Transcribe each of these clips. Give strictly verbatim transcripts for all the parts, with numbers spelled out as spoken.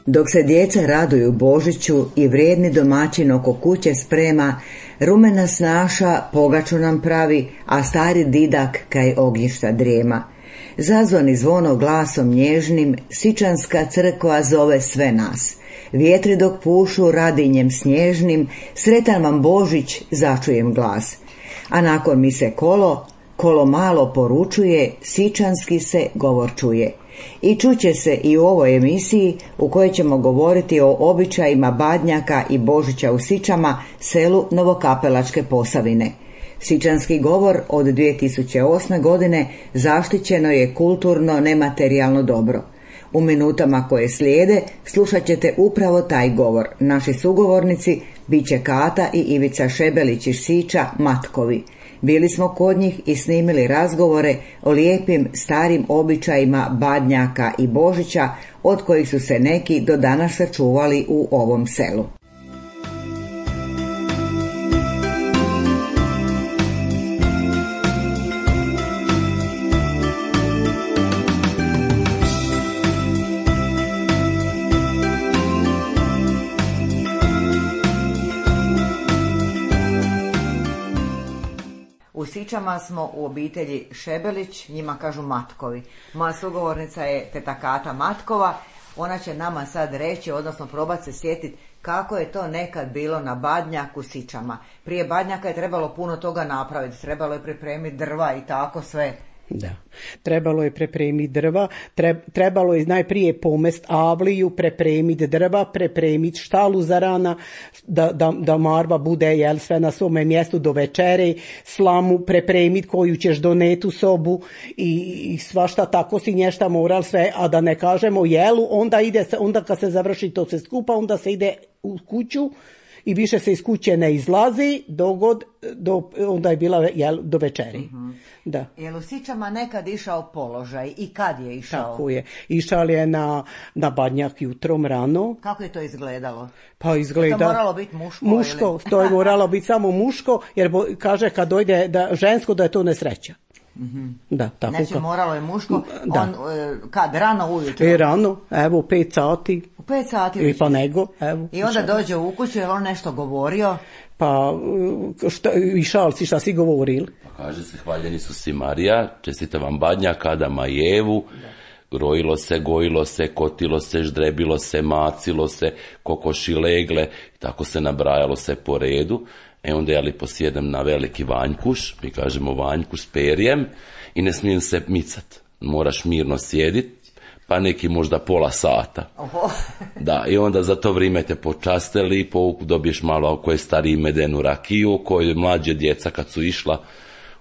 Dok se djeca raduju Božiću i vrijedni domaćin oko kuće sprema, rumena snaša pogaču nam pravi, a stari didak kaj ognjišta drijema. Zazvoni zvono glasom nježnim, sičanska crkva zove sve nas. Vjetri dok pušu radinjem snježnim, sretan vam Božić, začujem glas. A nakon mise kolo, kolo malo poručuje, sičanski se govor čuje. I čuće se i u ovoj emisiji u kojoj ćemo govoriti o običajima Badnjaka i Božića u Sičama, selu Novokapelačke Posavine. Sičanski govor od dvije tisuće osme. godine zaštićeno je kulturno nematerijalno dobro. U minutama koje slijede slušat ćete upravo taj govor. Naši sugovornici bit će Kata i Ivica Šebelić iz Siča, Matkovi. Bili smo kod njih i snimili razgovore o lijepim starim običajima Badnjaka i Božića, od kojih su se neki do danas sačuvali u ovom selu. U Sičama smo u obitelji Šebelić, njima kažu Matkovi. Moja sugovornica je teta Kata Matkova, ona će nama sad reći, odnosno probati se sjetiti kako je to nekad bilo na Badnjaku Sičama. Prije Badnjaka je trebalo puno toga napraviti, trebalo je pripremiti drva i tako sve. Da, trebalo je pripremiti drva, trebalo je najprije pomest avliju, pripremiti drva, pripremiti štalu za rana, da, da, da marva bude jel, sve na svome mjestu do večere, slamu pripremiti koju ćeš doneti u sobu i, i svašta tako si nješta moral sve, a da ne kažemo jelu, onda ide se, onda kad se završi to se skupa, onda se ide u kuću i više se iz kuće ne izlazi dogod, do, onda je bila jel, do večeri. Mm-hmm. Da. Je li u Sičama nekad išao položaj i kad je išao? Tako je. Išao je na, na Badnjak jutrom rano. Kako je to izgledalo? Pa izgleda... Je to moralo biti muško? Muško, ili? to je moralo biti samo muško, jer bo, kaže kad dojde da, žensko da je to nesreća. Mm-hmm. Da, tako znači ka... moralo je muško, da. On, kad, rano ujutro? E, rano, evo, pet sati. U pet sati? I pa nego, evo. I onda dođe u kuću, je on nešto govorio? Pa, šta, i šalci, šta si govorili? Pa kaže se, hvaljeni su si Marija, čestite vam Badnjak, Adama i Evu, grojilo se, gojilo se, kotilo se, ždrebilo se, macilo se, kokoši legle, tako se nabrajalo se po redu. E onda ja li posjedem na veliki vanjkuš, mi kažemo vanjkuš s perjem, i ne smijem se micat. Moraš mirno sjedit, pa neki možda pola sata. Oho. Da, i onda za to vrijeme te počaste lipo, dobiješ malo ako je stariji medenu rakiju, koje mlađe djeca kad su išla,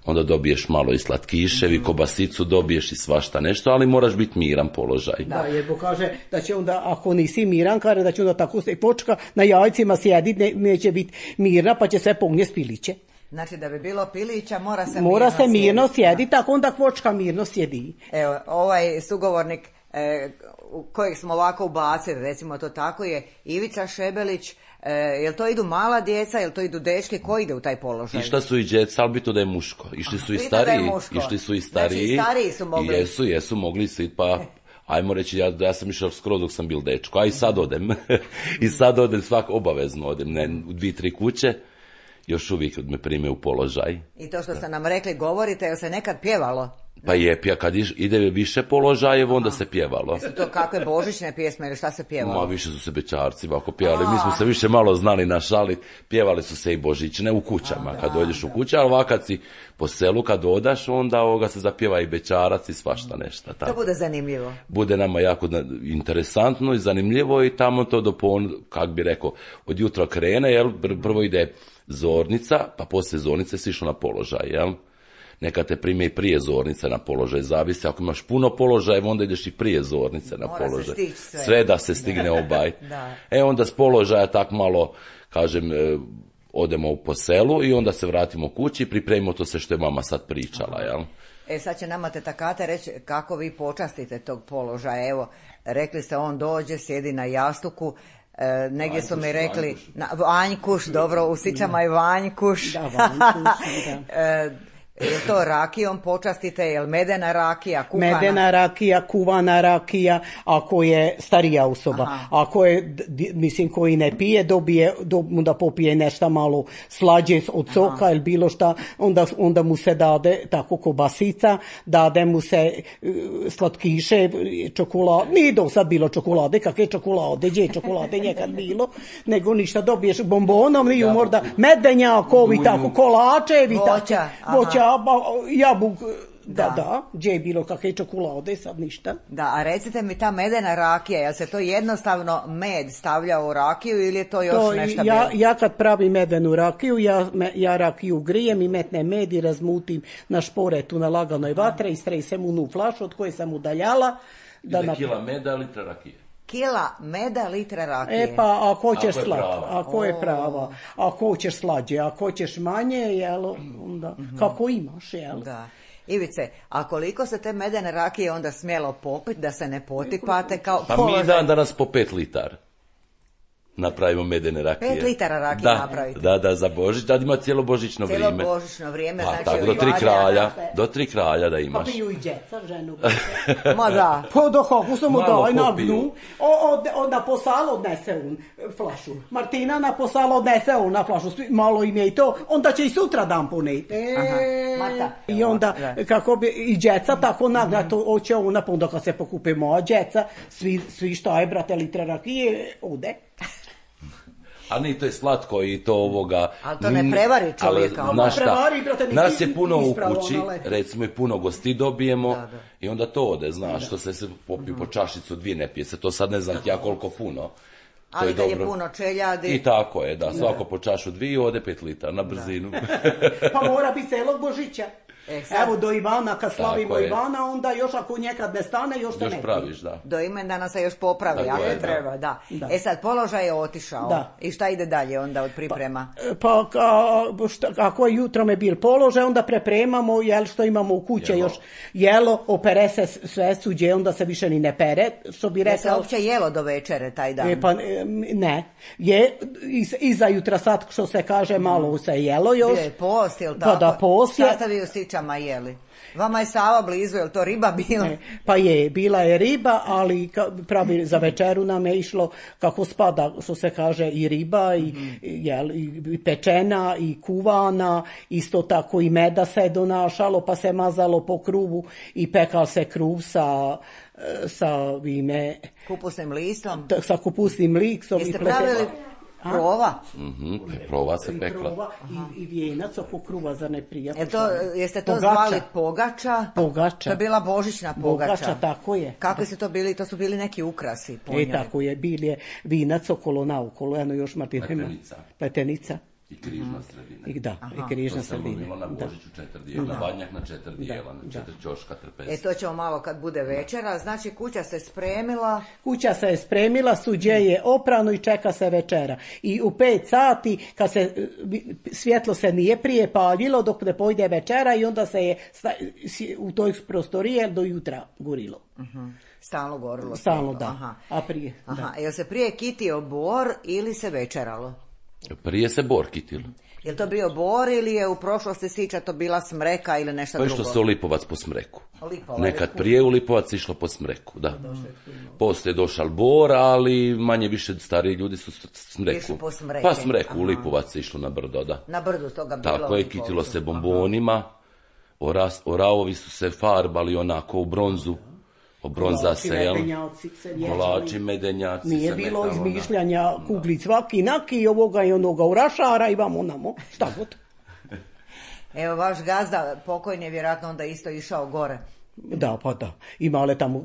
onda dobiješ malo i slatkiševi, kobasicu dobiješ i svašta nešto, ali moraš biti miran položaj. Da, jer Bog kaže da će onda, ako nisi miran, kaže da će onda tako se počka na jajcima sjediti, ne, neće biti mirna, pa će sve pognje spiliće. Znači da bi bilo pilića mora se mora mirno se mirno sjediti, sjedi, tako onda kvočka mirno sjedi. Evo, ovaj sugovornik e, kojeg smo ovako ubacili, recimo to tako, je Ivica Šebelić. E, jel to idu mala djeca, jel to idu dečke, ko ide u taj položaj? Išta su i djeca, ali bitno da je muško. Išli su i stariji, išli su i stariji. Znači i stariji su mogli. I jesu, jesu mogli svi, pa ajmo reći, ja, ja sam išao skoro dok sam bil dečko, a i sad odem. I sad odem, svak obavezno odem, ne, u dvije, tri kuće, još uvijek me prime u položaj. I to što ste nam rekli, govorite, jel se nekad pjevalo? Pa je, pja, kad ide više položajev, onda se pjevalo. Su to kakve božićne pjesme ili šta se pjevalo? Ma više su se bećarci ovako pjevali, mi smo se više malo znali našalit, pjevali su se i božićne u kućama, a, kad dođeš u kuću, ali ovak kad si po selu, kad odaš, onda ovoga se zapjeva i bećarac i svašta nešto. To bude zanimljivo. Bude nama jako interesantno i zanimljivo i tamo to do pon, kak bi rekao, od jutra krene, jel, prvo ide zornica, pa poslije zornice si išlo na položaj, jel? Neka te prime i prije zornice na položaj, zavisi, ako imaš puno položaja, onda ideš i prije zornice na Mora položaj. sve. sve da se stigne obaj. Da. E onda s položaja tak malo, kažem, e, odemo po selu i onda se vratimo kući i pripremimo to sve što je mama sad pričala, jel? E sad će nama teta Kata reći kako vi počastite tog položaja. Evo, rekli ste on dođe, sjedi na jastuku. E, negdje su mi rekli vanjkuš, na, vanjkuš, dobro, u Sičama je vanjkuš. Da, vanjkuš, da. e, Je to rakijom počastite, je li medena rakija, kuhana? Medena rakija, kuvana rakija, ako je starija osoba. Aha. Ako je, mislim, koji ne pije, dobije, onda popije nešto malo slađe od soka. Aha. Ili bilo šta, onda, onda mu se dade tako kobasica, dade mu se slatkiše, čokolade, nije do sad bilo čokolade, kakve čokolade, gdje je čokolade njekad bilo, nego ništa, dobiješ bombonom, nije možda medenjakovi, tako, kolačevi, voća, voća, jabuk, da, da, da, gdje je bilo kakve čokolade, sad ništa. Da, a recite mi, ta medena rakija, je se to jednostavno med stavlja u rakiju ili je to još to, nešto bilo? Ja, ja kad pravim medenu rakiju, ja, ja rakiju grijem i metnem med i razmutim na šporetu na laganoj vatre i stresem u flašu od koje sam udaljala. Da na... kila meda, litra rakije. Kila meda, litra rakije. E pa, ako hoćeš slat, ako je prava, ako hoćeš slađe, ako hoćeš manje, jel, onda, mm-hmm. kako imaš, jel? Da. Ivice, a koliko se te medene rakije onda smjelo popiti da se ne potipate kao pa položaj? Mi dan danas po pet litara napravimo medene rakije. Pet litara rakije da, napravite? Da, da, za Božić, da ima cijelo božićno cijelo vrijeme. Cijelo božićno vrijeme, pa, znači... tako, do tri kralja, do tri kralja da imaš. Pa piju i djeca, ženu. Ma da. Pa do kako sam mu daj na gnu. Onda po salo odnese un flašu. Martina na po salo odnese un na flašu. Malo im je i to. Onda će i sutra dan poneti. Aha, Marta. I onda, kako bi, i djeca tako naglato oće ona, pa onda kad se pokupe moja djeca, svi, svi šta je, brate, litra rakije, ode. Ali nije to je slatko i to ovoga... Ali to ne prevari čovjeka. Ali, znaš šta, nas je puno u kući, recimo i puno gosti dobijemo da, da. I onda to ode, znaš, da. Što se se popiju mm. po čašicu, dvije ne pije se, to sad ne znam ja koliko puno. To ali je da dobro. Je puno čeljadi. I tako je, da, svako po čašu dvije ode pet litara na brzinu. Pa mora biti celog Božića. E, evo do Ivana, kad slavimo Ivana, onda još ako nekad ne stane, još te još ne praviš, da. Do imendana se još popravi, ako je, treba, da. da. da. E sad, položaj je otišao. Da. I šta ide dalje onda od priprema? Pa, pa šta, ako je jutro me bil položaj, onda prepremamo, jel što imamo u kuće jelo. Još jelo, opere se sve suđe, onda se više ni ne pere, što bi rekao. Je se uopće jelo do večere taj dan? E, pa, ne. Je, iz, iza jutra sad, što se kaže, malo se jelo još. Bio je post, ili tako? Pa da, post je. Šta ste vi u Sičama jeli? Vama je Sava blizu, je li to riba bila? E, pa je, bila je riba, ali pravi za večeru nam je išlo kako spada, što se kaže, i riba, i, mm-hmm. jel, i pečena, i kuvana, isto tako i meda se donašalo, pa se mazalo po kruvu i pekal se kruv sa, sa ime... kupusnim listom? Sa kupusnim listom. Jeste pravili... Prova? Mm-hmm. Prova se pekla. Prova i, i vijenac oko kruva za neprijatno. Je to, jeste to pogača. Zvali pogača? Pogača. To je bila božićna pogača. Pogača, tako je. Kakvi su to bili? To su bili neki ukrasi po njoj. E, tako je. Bil je vinac okolo naokolo. Eno još Martina. Pletenica. Pletenica. I križna sredina. I da, i križna sredina. To se lomilo na Božiću četiri dijela, na Badnjak na četiri dijela, na četiri ćoška trpesa. E to ćemo malo kad bude večera, znači kuća se spremila. Kuća se je spremila, suđe je oprano i čeka se večera. I u pet sati, kad se svjetlo se nije prije paljilo dok ne pojde večera i onda se je u toj prostorije do jutra gorilo. Uh-huh. Stalno gorilo. Stalno, da. Aha. A prije, Aha. da. Jel se prije kitio bor ili se večeralo? Prije se bor kitilo. Je li to bio bor ili je u prošlosti Siča to bila smreka ili nešto drugo? Pa išlo se u Lipovac po smreku. Lipova, Nekad prije u Lipovac išlo po smreku, da. Poslije je došao bor, ali manje više stariji ljudi su smreku. Po smreke. Pa smreku, aha. U Lipovac se išlo na brdo, da. Na brdu toga bilo. Tako je, kitilo se bombonima, Oras, oravovi su se farbali onako u bronzu. Bronza se, jel? Kolači, medenjaci. Nije se bilo metalo, izmišljanja da. Kuglic svaki naki i ovoga i onoga u rašara i vamo namo. Šta god. Evo, vaš gazda pokojni je vjerojatno onda isto išao gore. Da, pa da. Imale tamo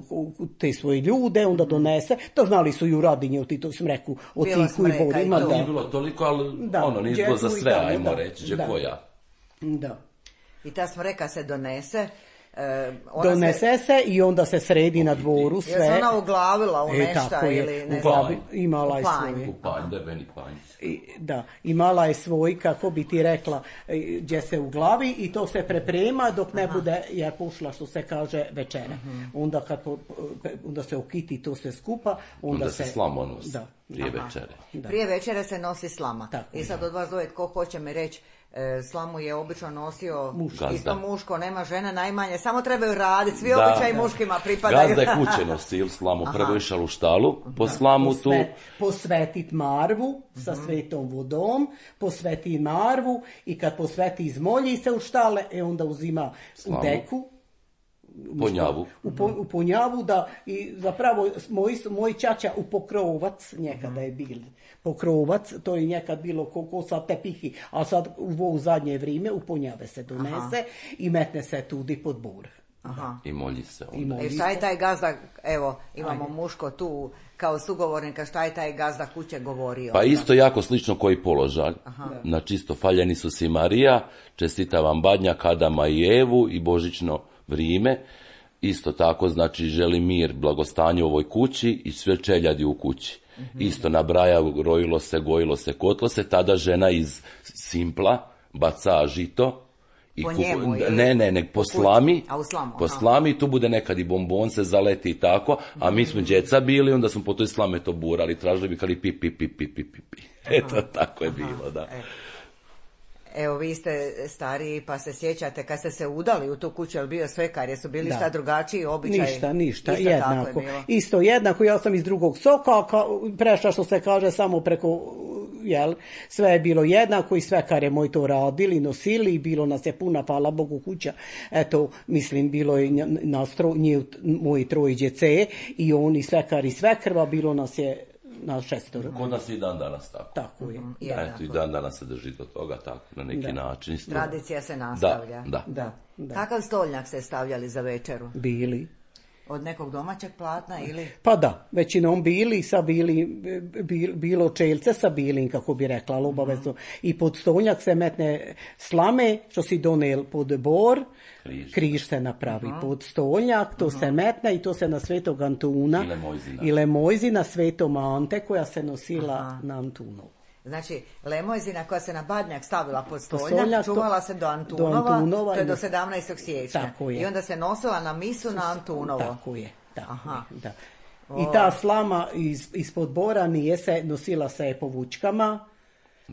te svoje ljude, onda donese. To znali su i u Radinje, ti to smreku, o ciku i borima. Da. Nije bilo toliko, ali da. Ono, nije bilo za sve, ajmo da. Reći, že koja. Da. I ta smreka se donese. E, donese se, se i onda se sredi na dvoru sve. Je se ona uglavila u nešta e, ili ne znam? Imala je svoj. U panj, debeni panj. Da, imala je svoj, kako bi ti rekla, gdje se uglavi i to se preprema dok ne aha. Bude, je pušla, što se kaže, večera. Uh-huh. Onda, kad, onda se okiti to sve skupa. Onda, onda se, se slamo nosi. Da. Prije aha. večere. Da. Prije večere se nosi slama. Tako, i sad od vas dvoje, tko hoće mi reći, E, slamu je obično nosio Muško. isto muško, nema žene najmanje, samo trebaju raditi, svi Da. običaji muškima pripadaju. Gazda je kuće nosil slamu, prvo išao u štalu, po slamu tu. Posvetit marvu sa svetom vodom, posveti marvu i kad posveti izmolji se u štale, e onda uzima Slamu. u deku, Ponjavu. U, po, u ponjavu da i zapravo moj, moj čača u pokrovac nekada je bil. Pokrovac, to je nekad bilo ko, ko sad tepihi, a sad u, u zadnje vrijeme u ponjave se donese. Aha. I metne se tudi pod bor. Aha. I molji se onda. I molji E šta je taj gazda, evo imamo Ajde. muško tu kao sugovornika, šta je taj gazda kuće govorio? Pa isto jako slično koji položaj. Aha. Na čisto faljeni su si Marija, čestita vam Badnjak, Adama i Evu i božićno vrijeme. Isto tako, znači, želi mir, blagostanje u ovoj kući i sve čeljadi u kući. Mm-hmm. Isto nabraja, rojilo se, gojilo se, kotlo se, tada žena iz Simpla baca žito. I po kupu, njemu, ili? Ne, ne, ne, po slami, A u slamu, po slami, tu bude nekad i bombon se zaleti i tako, a mi smo djeca bili, onda smo po toj slame to burali, tražili bi kali pi, pi, pi, pi, pi, pi. Eto, tako je Aha. bilo, da. E. Evo, vi ste stariji pa se sjećate kad ste se udali u tu kuću, je li bio svekar, jesu bili da. šta drugačiji običaji? Ništa, ništa, isto jednako. Isto jednako, ja sam iz drugog soka, ka, prešla što se kaže samo preko, jel, sve je bilo jednako i svekare moj to radili, nosili, bilo nas je puna, hvala Bogu, kuća. Eto, mislim, bilo je nas tro, nje, moji troje djece i oni svekari i svekrva, bilo nas je na šestoro. Kod nas i dan danas tako. Tako je. Mm, Eto, i dan danas se drži do toga tako, na neki da. način. Isto. Tradicija se nastavlja. Da, da. da, da. Kakav stoljnjak ste stavljali za večeru? Bili. Od nekog domaćeg platna ili? Pa da, većinom bili, sa bili, bilo čelce sa bilim, kako bi rekla, ali obavezno. Mm-hmm. I pod stoljnjak se metne slame, što si donel pod bor, križ, križ se napravi mm-hmm. pod stoljnjak, to mm-hmm. se metne i to se na Svetog Antuna i Lemojzina Svetom Ante, koja se nosila Aha. na Antunovu. Znači, Lemojzina koja se na Badnjak stavila pod stoljnjak, čuvala se do Antunova, do Antunova to je do sedamnaestog siječnja. I onda se nosila na misu na Antunovo. Tako je, tako Aha. je, da. I ta slama iz, ispod bora nije se, nosila se po vučkama.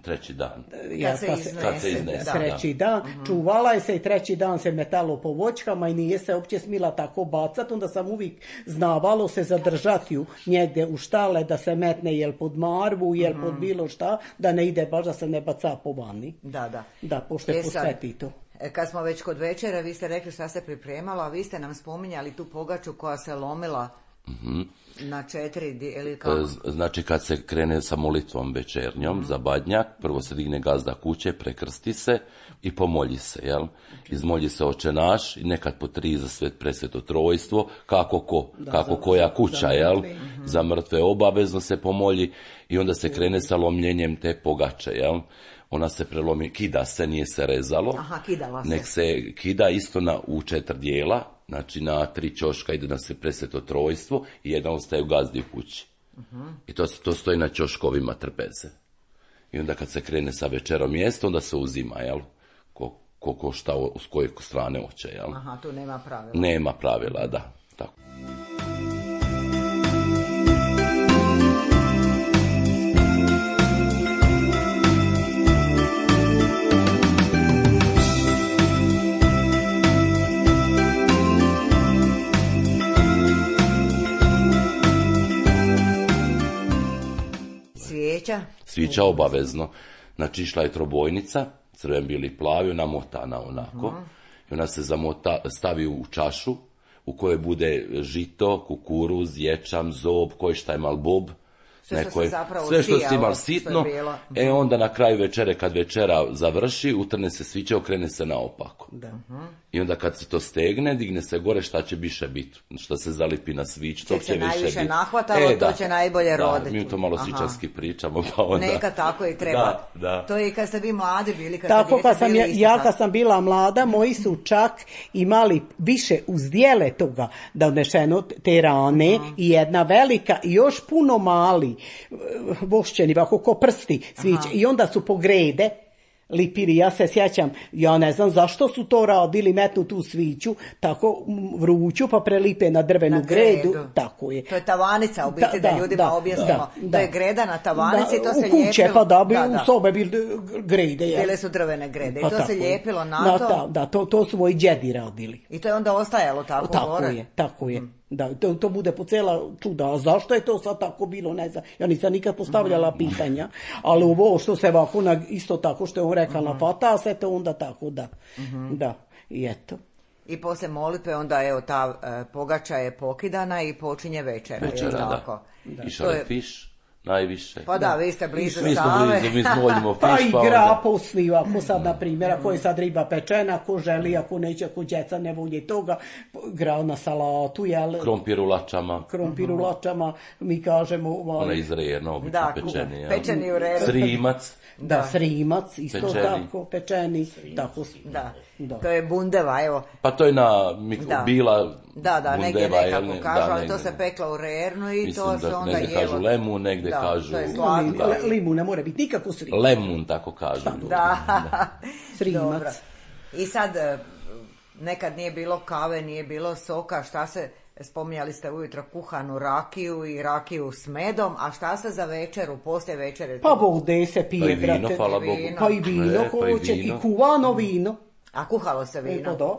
Treći dan. Ja, kad, se iznese, kad se iznese. Treći dan. Uh-huh. Čuvala je se i treći dan se metalo po voćkama i nije se uopće smila tako bacati. Onda sam uvijek znavalo se zadržati ju njegdje u štale da se metne jel pod marvu, jel uh-huh. pod bilo šta, da ne ide baš da se ne baca po vani. Da, da. Da, pošto je posveti to. Kad smo već kod večera, vi ste rekli šta se pripremalo, a vi ste nam spominjali tu pogaču koja se lomila mm-hmm. na četiri, ili kako? Znači kad se krene sa molitvom večernjom mm-hmm. za Badnjak, prvo se digne gazda kuće, prekrsti se i pomolji se, jel? Okay. Izmolji se Oče naš i nekad po tri za svet presveto trojstvo, kako ko, da, kako za, koja kuća, za jel? Mm-hmm. Za mrtve obavezno se pomolji i onda se krene sa lomljenjem te pogače, jel? Ona se prelomi, kida se, nije se rezalo. Aha, kidala se. Nek se kida isto na, u četiri dijela, znači na tri ćoška ide na se presveto trojstvo i jedan ostaje u gazdi u kući. Uh-huh. I to, to stoji na ćoškovima trpeze. I onda kad se krene sa večerom mjesto, onda se uzima, jel? Ko, ko, ko šta, s koje strane hoće, jel? Aha, tu nema pravila. Nema pravila, da. Tako. Svijeća? Svijeća obavezno. Znači išla je trobojnica, crven, bili, plavi, ona motana onako. Uh-huh. I ona se zamota, stavi u čašu u kojoj bude žito, kukuruz, ječam, zob, koji šta je mal bob. Sve što, je, sve što si imal sitno, e onda na kraju večere, kad večera završi, utrne se sviće, okrene se naopako. Da. Uh-huh. I onda kad se to stegne, digne se gore, šta će više biti, šta se zalipi na svić, to će, će više biti. Nahvatalo, e, to će najbolje da, roditi. Mi to malo svičarski pričamo, pa onda... Neka tako i treba. Da, da. To je i kad ste vi mladi bili, kad tako, ste kad sam bili ja, ja kad sam bila mlada, moji su čak imali više uzdjele toga da odnešeno te rane uh-huh. i jedna velika i još puno mali vošćeni, ovako ko prsti sviće. I onda su pogrede lipiri, ja se sjećam, ja ne znam zašto su to radili, metnu tu sviću, tako vruću, pa prelipe na drvenu na gredu. gredu. Tako je. To je tavanica, u biti, da, da ljudima da, objasnimo. Da, to je greda na tavanici, da, to se u kuće, lijepilo. pa da bi da, da. u sobe bili grede. Ja. Bile su drvene grede i pa to se lijepilo na da, to. Da, da, to, to su moji djedi radili. I to je onda ostajalo tako, tako gore? Je, tako je. Da, to, to bude po cijela čuda. A zašto je to sad tako bilo, ne znam. Ja nisam nikad postavljala pitanja, ali ovo što se ovako, na, isto tako što je on rekao, na fata se to onda tako, da. Da, i eto. I poslije molitve onda evo ta e, pogača je pokidana i počinje večera. Večera, da. Tako. da. Išao je fiš, najviše. Pa da, da, vi ste blizu mi Save. Mi smo blizu, mi smoljimo fiš. Pa i pa gra onda... posli, ako sad, na primjer, ako je sad riba pečena, ako želi, ako neće, ako djeca ne volje toga, gra na salatu, jel? Krompir u lačama. Krompir u lačama, mi kažemo... Ovaj... Ona iz rejena, obično da, pečeni. Ja. Pečeni u redu. Srimac. Da, da, srimac, isto pečeni. Tako, pečeni. Tako, da. da, to je bundeva, evo. Pa to je na mik- da. bila Da, da, bundeva, negdje nekako ne, kažu, da, ali negdje. to se pekla u rernu i mislim to se da, onda negdje jelo. kažu lemun, negdje da, kažu... To je slatko. Da. Limun ne mora biti nikako srimac. Lemun, tako kažu. Da, da. Srimac. I sad, nekad nije bilo kave, nije bilo soka, šta se... Spominjali ste ujutro kuhanu rakiju i rakiju s medom, a šta se za večeru, poslije večere? Pa vode se pije, pa i vino, brate. hvala Bogu. Pa i vino, ne, ko pa hoće i ti kuvano vino. A kuhalo se vino? E, pa da.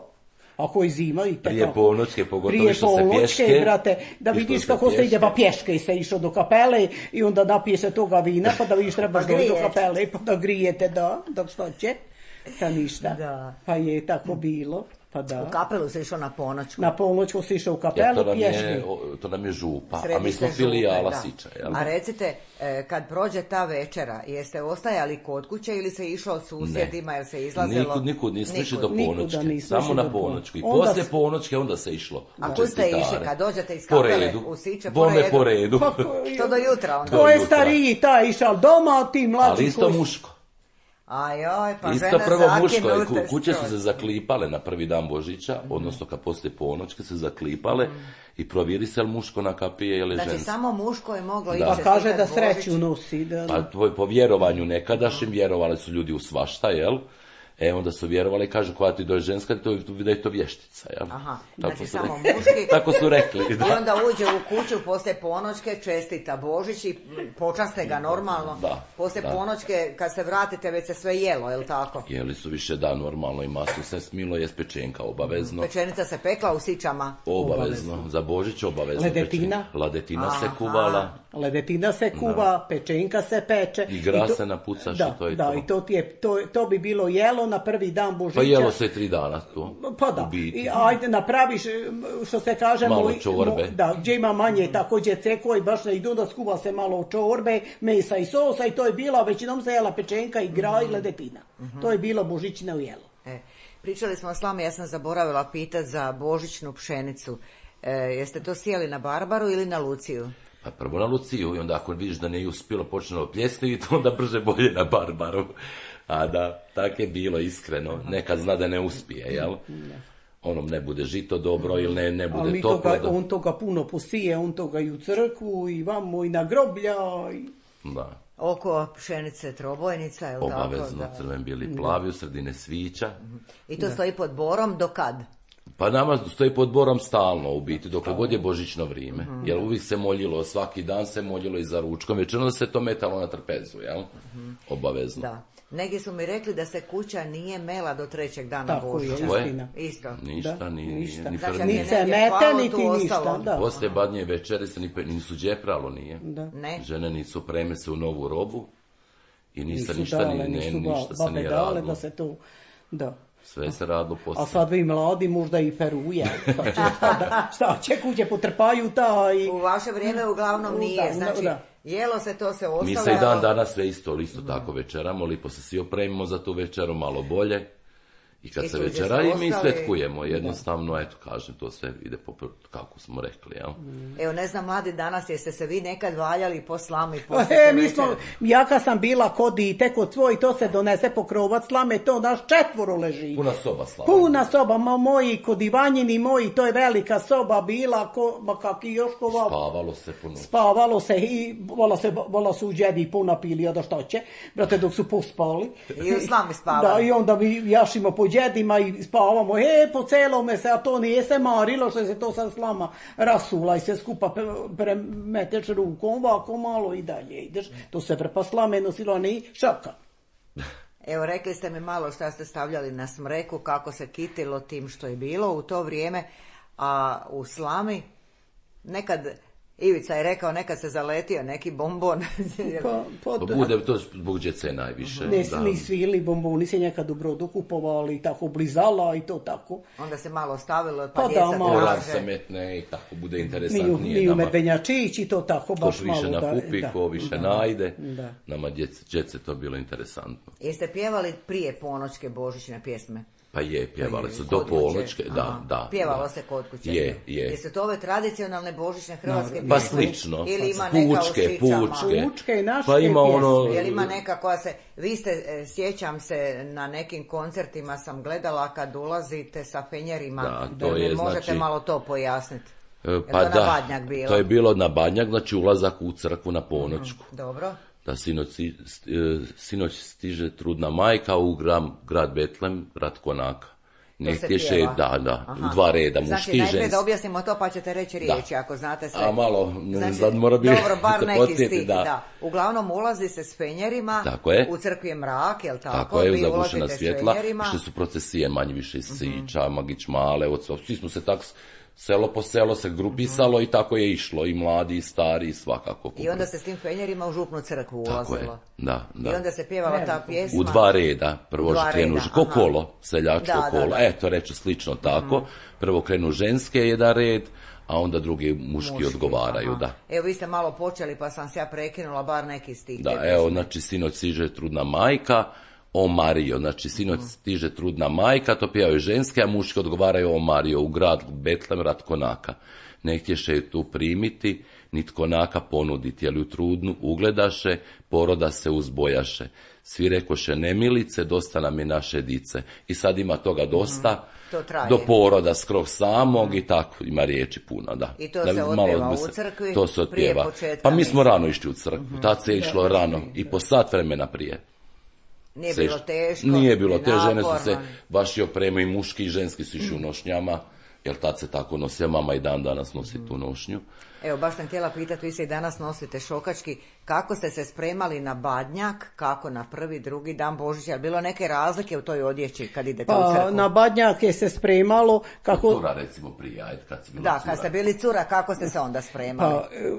Ako je zima i prije tako. ponoćke, pogotovo prije što se pješke. Prije brate, da vidiš kako se ide, pa pješke se išao do kapele i onda napije se toga vina, pa da vidiš trebaš pa doći do kapele, pa da grijete, da, dok što će, pa ništa. Da. Pa je tako bilo. Pa da. U kapelu se išao na ponoćku. Na ponoćku se išao u kapelu, ja, to, nam pješke. je, to nam je župa, Središte a mi smo filijala župe, Siča. Jel? A recite, kad prođe ta večera, jeste ostajali kod kuće ili se išlo susjedima, jer se izlazilo? Nikud, nikud nismo išli do ponoćke, samo na ponoćku. I onda poslije s... ponoćke onda se išlo. A kud ste išli, kad dođete iz kapele u Siče, po Bome redu? po redu. Pa, to do jutra onda? To je stariji, taj išao doma, a ti mlađi. Ali isto koji... muško. Ajoj, pa isto žene prvo muško, zakinute kuće su skroz. se zaklipale na prvi dan Božića, mm. odnosno kad poslije ponoćke se zaklipale mm. i provjeri se li muško na kapije ili znači, žensko. Znači samo muško je moglo ići. Pa kaže da sreću nosi. Da, da. Pa tvoj, po vjerovanju nekadašnjim vjerovali su ljudi u svašta, jel? E, onda su vjerovali i kažu koja ti dođe ženska, to, da je to vještica, jel? Aha, tako znači su samo rekli. muški. Tako su rekli, da. I onda uđe u kuću poslije ponoćke, čestita Božić i počaste ga normalno. Da, poslije da. ponoćke, kad se vratite, već se sve jelo, jel tako? Jeli su više da, normalno i masu se smilo, je pečenka obavezno. Pečenica se pekla u Sičama? Obavezno, obavezno. Za Božić obavezno. Ledetina? Pečenka. Ledetina Aha. se kuvala. Ledetina se kuva, da. Pečenka se peče. I gra to, se napucaš da, i to je da, to. I to, ti je, to, to bi bilo jelo na prvi dan Božića. Pa jelo se tri dana to. Pa da, i ajde napraviš, što se kaže... Malo čorbe. Mo, da, gdje ima manje također ceko i baš ne idu da skuva se malo čorbe, mesa i sosa i to je bilo, većinom se jela pečenka i gra mm-hmm. i ledetina. Mm-hmm. To je bilo božićno jelo. E, pričali smo s vama, ja sam zaboravila pitati za božićnu pšenicu. E, jeste to sijali na Barbaru ili na Luciju? Pa prvo na Luciju i onda ako vidiš da nije uspjelo počne pljesniti, onda brže bolje na Barbaru. A da, tak je bilo iskreno. Nekad zna da ne uspije, jel? Onom ne bude žito dobro ili ne, ne bude ali toplo. Toga, da... on toga puno posije, on toga i u crkvu i vamo i na groblja. I... Da. Oko pšenice trobojnica, je li tako? Obavezno, crven, bijeli, plavi, u sredine svića. I to da. stoji pod borom do kad? Pa nama stoji pod borom stalno u biti, dok god je božićno vrijeme. Mm-hmm. Jer uvijek se moljilo, svaki dan se moljilo i za ručkom, većinom se to metalo na trpezu, jel? Mm-hmm. Obavezno. Da. Neki su mi rekli da se kuća nije mela do trećeg dana tako Božića. Tako je, istina. Isto. Ništa, da, ni, ništa. ni znači, prvi. Ni se mete, niti ništa. Da. Poslije badnje večere se ni, nisu džepralo, nije. Da. Ne. Žene nisu preme se u novu robu i ništa, nisu ništa, dale, ni, nisu ne, ništa se nije dale radilo. da se to, da. Sve se radilo poslije. A sad vi mladi možda i peruje. Šta će, šta, šta će kuće potrpaju taj... U vaše vrijeme uglavnom nije. Znači, da. Jelo se, to se ostalo. Mi se i dan danas sve isto, isto tako večeramo, lipo se svi opremimo za tu večeru, malo bolje. I kad I se ljudi večera su i mi ostali- svetkujemo, jednostavno, eto, kažem, to sve ide po, kako smo rekli, jel? Evo, ne znam, mladi danas, jeste se vi nekad valjali po slami, po E, mi smo, ja kad sam bila kod dite, kod svoj, to se donese pokrovac slame, to naš četvoro leži. Puna soba slava. Puna soba, ma moji, kod Ivanjini moji, to je velika soba bila, ko, ma kak i još kova. Spavalo se puno. Spavalo se i vola, se, vola su džedi puno pili, a da šta će, brate, dok su pospali. I u slami spavali. Da, i onda mi jašimo po džedima i spavamo, e, po celome se, a to nije se marilo, što se to sad slama rasula i sve skupa premeteš rukom, ovako malo i dalje ideš. To se vrpa slame nosilo, a ne šaka. Evo, rekli ste mi malo šta ste stavljali na smreku, kako se kitilo tim što je bilo u to vrijeme, a u slami nekad, Ivica je rekao, nekad se zaletio neki bombon. Pa, pa, Pa bude to zbog djece najviše. ne, da. ni svili bomboni se nekad u Brodu kupovali i tako blizala i to tako. Onda se malo stavilo, pa, Pa djeca da, malo. Kolar traže. se metne i tako bude Mi, interesantnije mi u nama. Medvenjačić i to tako, Ko baš više malo. nakupi, da, ko više da, najde. da. Nama djece, djece to bilo interesantno. Jeste pjevali prije ponoćke božićne pjesme? Pa je, pjevali su Kod do kuće. polnoćke, da, Aha. da. Pjevalo da. se kod kuće. Je, je. Jesu to ove tradicionalne božićne hrvatske Pa pjesme? slično. Ili ima neka Pučke, u sićama? pučke. Pučke i naše Pa ima ono... Jel ima neka koja se, vi ste, e, sjećam se, na nekim koncertima sam gledala kad ulazite sa fenjerima. Da, to Jel mi je, možete znači- malo to pojasniti? E, Jel Pa to da, na Badnjak bilo? to je bilo na Badnjak, znači ulazak u crkvu na ponoćku. Dobro. Da sinoć, si- st- e, sinoć stiže trudna majka u grad, grad Betlem, grad Konaka. To se Negdje še, pjeva. da, da, Aha. u dva reda, Znači, muški i najprije ženski. da objasnimo to pa ćete reći riječi, ako znate sve. A malo, ne Znači, znam, mora biti dobro, bar se neki podsjeti, stih, da. da. Uglavnom ulazi se s fenjerima, Tako je. u crkvi je mrak, jel tako? Tako je, Vi zagušena ulazite s svjetla, fenjerima. što su procesije manje više iz Sića, Magić Male, od svog- svi smo se tak s- selo po selo se grupisalo i tako je išlo, i mladi i stari i svakako. I onda se s tim fenjerima u župnu crkvu Tako je, ulazilo. da, da. I onda se pjevala ta pjesma. U dva reda, prvo U dva krenu, reda, ko aha. kolo, seljačko Da, da, kolo, da. eto reću slično tako, prvo krenu ženske jedan red, a onda drugi muški, Muški, odgovaraju, aha. da. Evo, vi ste malo počeli pa sam se ja prekinula, bar neki stih. Da, te evo, pjesme. znači, sinoć stiže trudna majka, o Mario, znači, sinoć stiže trudna majka, to pjevaju ženske, a muški odgovaraju o Mario, u grad Betlem, rad Konaka. Ne htješe je tu primiti, nit Konaka ponuditi, ali u trudnu ugledaše, poroda se uzbojaše. Svi rekoše, nemilice, dosta nam je naše dice. I sad ima toga dosta, To traje. do poroda skroz samog i tako, ima riječi puno, da. I to Da se malo otpjeva bi u se- crkvi To se prije otpjeva. početka Pa mi smo mise. rano išli u crkvu, tad se išlo rano i po sat vremena prije. Nije Se bilo išlo. teško. Nije bilo, ni te žene su se naporno. baš i opremaju, i muški i ženski su išli u nošnjama, jer tad se tako nosio, mama i dan danas nosi tu nošnju. Evo, baš sam htjela pitati, vi se i danas nosite šokački, kako ste se spremali na Badnjak, kako na prvi, drugi dan Božića, je bilo neke razlike u toj odjeći kad idete u Pa crkvu? na Badnjak je se spremalo kako... Cura recimo prije, ajde, kad si bila Da, cura. kad ste bili cura, kako ste se onda spremali? Pa, e,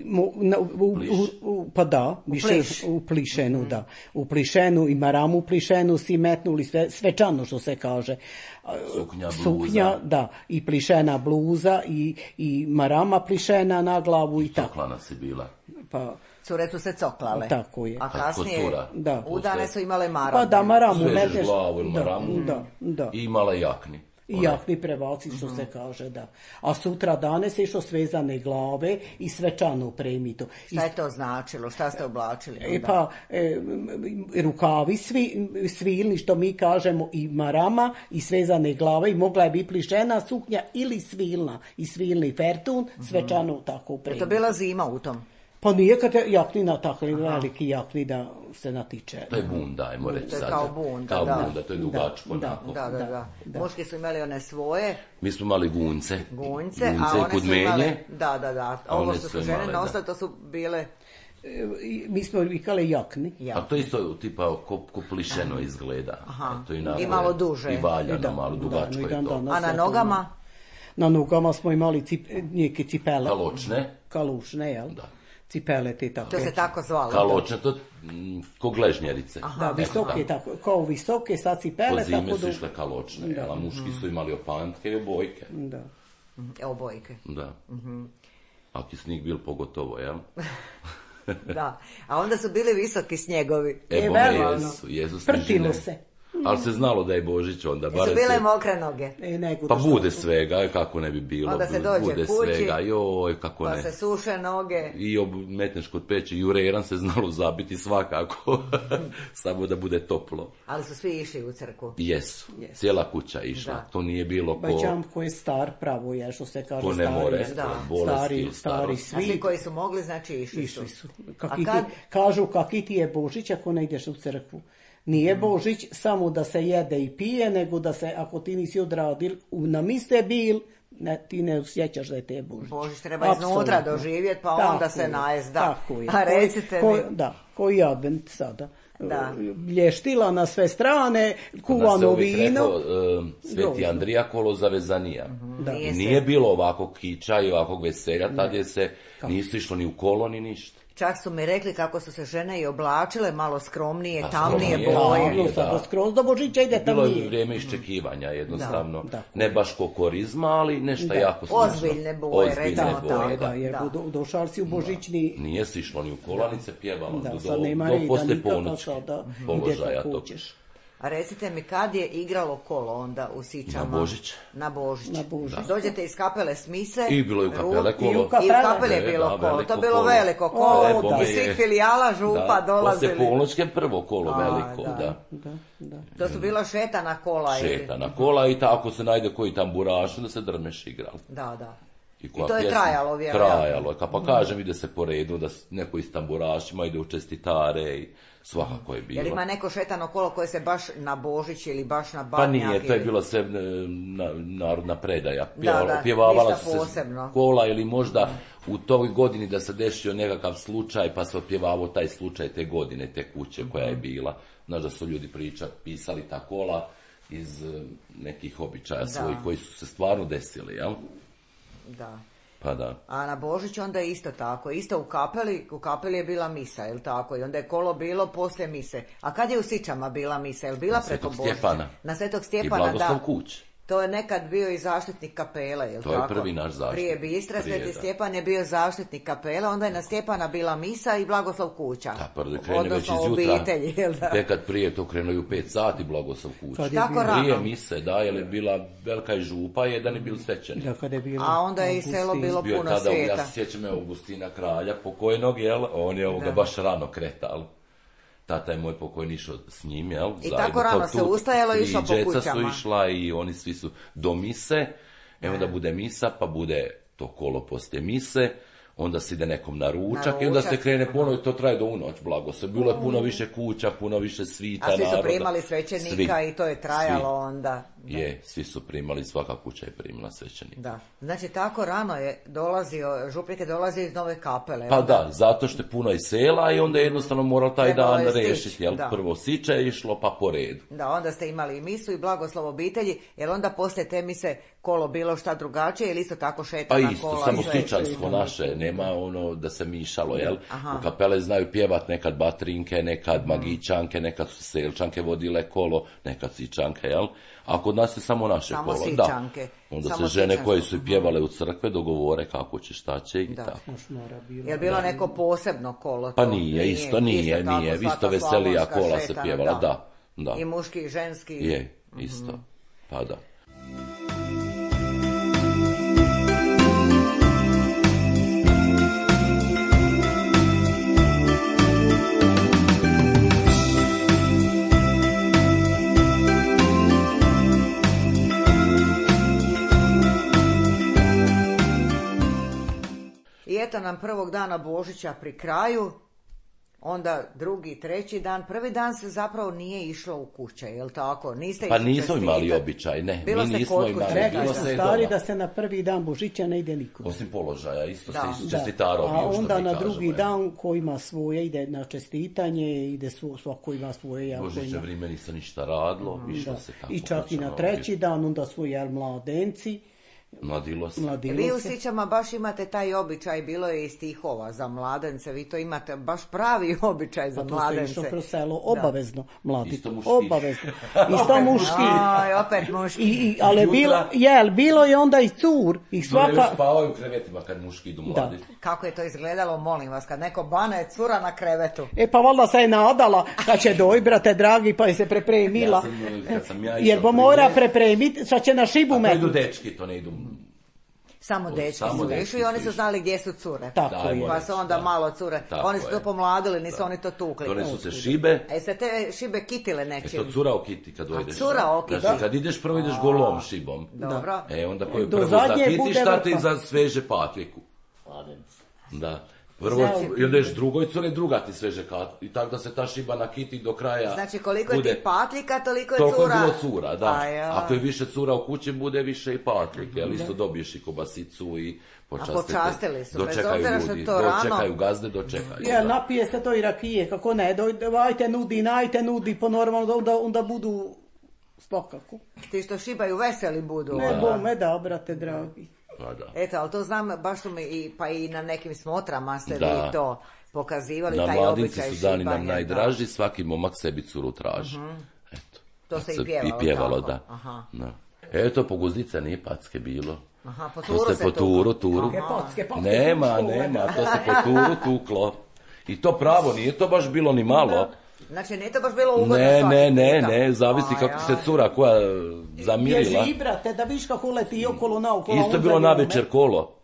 mu- na- u, u, u- pa da, više pliš. u plišenu, da. U plišenu i maramu plišenu si metnuli sve, svečano, što se kaže. Suknja, bluza. Suknja, da, i plišena bluza i, i marama plišena na glavu i tako. Coklana si bila. Pa, Cure su se coklale. Tako je. A Tako, kasnije cura. Da. udane su imale maramu. pa da maramu Svežeš metneš. glavu ili Da, maramu. da, da. I imala jakni. I One. jakni prevaci, što se kaže, da. A sutra dane se išlo svezane glave i svečano premito. I Šta je to značilo? Šta ste oblačili? E onda? pa, e, m, rukavi svi, svilni, što mi kažemo, i marama, i svezane glave, i mogla je biti plišena suknja ili svilna, i svilni fertun, svečano tako Je upremiti. to bila zima u tom? Pa nije kad je jakni natakli, veliki jakni da se natiče. To je bunda, ajmo reći To je sad. kao bunda, Kao da. bunda, to je dugačko. Da, onako. Da, da, da. da. Muški su imali one svoje Mi smo imali gunce. gunjce, a Gunce i one su imale... kudmenje. Da, da, da. A Ovo one što su su žene imale, da. nosile, to su bile... E, i mi smo vikali jakni. Ja. A to isto tipa ko, ko plišeno izgleda. Aha. To I onako malo je- duže. I valjano, Da, malo da, dugačko i je dan to. danas. A na je to nogama? Na nogama smo imali cip, neke cipele. Kaločne. Kalušne, jel? Da. Cipele te tako. To se tako zvalo. Kaločne, to mm, ko gležnjerice. Da, Eto, visoke, tako, kao visoke, sad cipele, Po zimi tako su da... išle kaločne, Da. a muški su imali opantke i obojke. Da. Evo bojke. Da. Mhm. Ako je snijeg bil pogotovo, jel? Da. A onda su bili visoki snjegovi. E, E, bome veliko. jesu, jesu Prtilo snežine. se. Ali se znalo da je Božić onda. Su bile se... mokre noge. E, nego pa bude su... svega, kako ne bi bilo. Onda se dođe bude kući, svega, joj, kako pa ne. se suše noge. I metneš kod peći, jureran se znalo zabiti svakako. Samo da bude toplo. Ali su svi išli u crkvu. Jesu, yes. Cijela kuća išla. Da. To nije bilo ko... Baćam ko je star pravo, je, što se kaže ko ne stari. More, da. bolesti, stari, stari svi. A svi koji su mogli, znači išli, išli su. su. Kaki kad... ti, kažu kaki ti je Božić ako ne ideš u crkvu. Nije Božić samo da se jede i pije, nego da se, ako ti nisi odradil, na mise bil, ne, ti ne osjećaš da je te Božić. Božić treba iznutra doživjeti, pa tako onda se najest, da. Tako je. A recite ko, mi... Da, koji advent sada. Da. Blještila na sve strane, kuvano vino. Rekao, uh, Sveti Andrija kolo zavezanija. Mm-hmm. Da. Nije, nije bilo ovako kiča i ovakvog veselja, tad je se Kako? nisu išlo ni u kolo ni ništa. Čak su mi rekli kako su se žene i oblačile malo skromnije, A, tamnije skromnije, boje. Da, sada skroz do Božića ide tamnije. Bilo je vrijeme iščekivanja jednostavno. Da, da. Ne baš kokorizma, ali nešto da. jako slično. Ozbiljne boje, Ozbiljne recimo boje, tako. Da, jer do, došao si u Božićni... Da. Nije si išlo ni u kolanice, pjevalo da, do, sad nema do poslije ponoći sada položaja tog. A recite mi, kad je igralo kolo onda u Sičama? Na Božić. Na Božić. Na Božić. Dođete iz kapele s mise. I bilo je u kapele kolo. I u kapele, I u kapele je bilo da, kolo. To je bilo kolo. Veliko kolo. O, iz svih filijala župa da, dolazili. Poslije polnoćke prvo kolo A, veliko, da. Da. Da, da. To su bila šetana kola. Šetana ili... kola i tako se najde koji tamburaš, da se drmeš igrali. Da, da. I, I to je pjesma, trajalo, vjerojatno. Trajalo je, pa kažem, ide se po redu, da neko iz tamburašima ide u čestitare i svakako je bilo. Jel ima neko šetano kolo koje se baš na Božić ili baš na Badnjak? Pa nije, to je ili... bilo sve na, narodna predaja. Pjevala, da, da, pjevavala ništa se posebno. Kola ili možda u toj godini da se desio nekakav slučaj pa se opjevavao taj slučaj te godine, te kuće koja je bila. Znaš da su ljudi priča, pisali ta kola iz nekih običaja svojih koji su se stvarno desili, jel? Da. Pa da. A na Božić onda je isto tako. Isto u kapeli, u kapeli je bila misa, je li tako? I onda je kolo bilo poslije mise. A kad je u Sičama bila misa? Je li bila na preko Božića? Stjepana. Na Svetog Stjepana, da. I Blagoslov Kuć. To je nekad bio i zaštitnik kapele, je li to tako? To je prvi naš zaštitnik. Prije Bistra, Sveti Stjepan je bio zaštitnik kapela, onda je na Stjepana bila misa i Blagoslov Kuća. Da, prvi krene već iz jutra. Obitelji, jel da? Tekad prije to krenuo u pet sati Blagoslov Kuća. Tako rano. Prije mise, da, jer je bila velika i župa, jedan je bil svećenik. Da, kad je bilo A onda je i selo bilo bio puno tada, svijeta. Ja se sjećam Augustina kralja, pokojnog, jel? On je ovoga baš rano kretal. Tata je moj pokojni išao s njim, jel? I tako rano se ustajalo i išlo po kućama. Djeca su išla i oni svi su do mise, evo da bude misa, pa bude to kolo poslije mise, onda se ide nekom na ručak, na ručak i onda se krene ponovo i to traje do unoć, blago se. Bilo je puno više kuća, puno više svita, naroda. A svi su naroda. primali svećenika svi, i to je trajalo svi. onda. Da. Je, svi su primali, svaka kuća je primila svećenika. Da, znači tako rano je dolazio, župnik je dolazio iz Nove Kapele. Pa onda... da, zato što je puno iz sela i onda je jednostavno morao taj Trebalo dan stić, rešiti, jel? Da. Prvo Siče je išlo, pa po redu. Da, onda ste imali i misu i blagoslov obitelji, jer onda poslije te mise kolo bilo šta drugačije ili isto tako šetana pa isto, kola? samo sve... sičansko naše, nema ono da se mišalo, jel? Aha. U kapele znaju pjevat nekad batrinke, nekad magičanke, nekad su selčanke vodile kolo, nekad sičanke, jel? A kod nas je samo naše samo kolo, sičanke. Da. Onda samo se žene sičanke. Koje su pjevale u crkve dogovore kako će, šta će i da. tako. Je li bilo da. Neko posebno kolo? To? Pa nije, isto nije, isto nije, isto veselija kola šetana, se pjevala, da. da, da. I muški i ženski. Je, isto, mm-hmm. pa da. I eto nam prvog dana Božića pri kraju, onda drugi, treći dan, prvi dan se zapravo nije išlo u kuće, jel tako? Niste pa nismo imali običaj, ne, bilo mi nismo imali. Rekli su stari da se na prvi dan Božića ne ide niko. Osim položaja, isto da. se čestitaro. A onda na drugi kažemo, dan ko ima svoje, ide na čestitanje, ide svako ima svoje. Ja, Božiće ima... vrijeme ništa ništa radilo, mm, išlo da. se tako. I čak i na treći dan, onda svoje jel, mladenci, Mladilo se. Mladilo Vi u se. Sićama baš imate taj običaj, bilo je i stihova za mladence, vi to imate baš pravi običaj za Pa to se mladence. išlo kroz selo, obavezno, mladi. Isto muški. Obavezno. Isto muški. Aj, opet muški. I, i, ali Jutra- bilo, jel, bilo je onda i cur. I Svaka... svaka... spavaju u krevetima kad muški idu mladi. Kako je to izgledalo, molim vas, kad neko bane cura na krevetu? E pa valjda se je nadala kad će doj, brate dragi, pa je se prepremila. Ja sam, kad sam ja išao Jer bo prije- mora prepremiti, sad će na šibu A to idu metnuti. dečki, to ne idu... Samo dečki Samo su dečki išli i oni su su išli. znali gdje su cure. Tako Da, je. moram Pa su onda da. malo cure. Tako Oni su to je. pomladili, nisu oni to tukli. Done su se šibe, E se te šibe kitile e to nečim. cura okiti kad dojdeš. cura okiti. Znači, kad ideš prvo ideš golom šibom. Dobro. E, onda koji Do prvo zadnje zakitiš, bude šta ti vrha. za sveže patliku. Da. Prvo, i onda ješ drugoj cure, druga ti sveže kat. I tako da se ta šiba nakiti do kraja. Znači koliko je bude- ti patlika, toliko je Toliko je cura. bilo cura, da. A ja. Ako je više cura u kući, bude više i patlike. Ali isto dobiješ i kobasicu i počastite. počastili su, bez Dočekaju obzira što ljudi, je to rano. dočekaju gazde, dočekaju. Jel, da. napije se to i rakije, kako ne, doj, ajte nudi, najte nudi, po normalno, onda, onda budu spokako. Ti što šibaju veseli budu. Ne onda. bome da, brate dragi. Pa da. Eto, ali to znam, baš su mi i, pa i na nekim smotrama ste Da. vi to pokazivali, Na taj mladinci običaj su dani nam šibanja, najdraži, svaki momak sebi curu traži. Eto. To se i Sad pjevalo I pjevalo, tako. da. Aha. da. Eto, po guzdica nije packe bilo. Aha, po To turu se se po tuklo. turu, turu. Pocke, pocke, pocke, Nema, škole. nema, to se po turu tuklo. I to pravo, nije to baš bilo ni malo. Znači, nije to baš bilo ugodno Ne, svaki ne, ne, puta. ne, zavisi A, kako ja. se cura koja zamirila. Bježi, brate, da viš kako leti okolo naokolo. Isto je on bilo za na njome. večer kolo.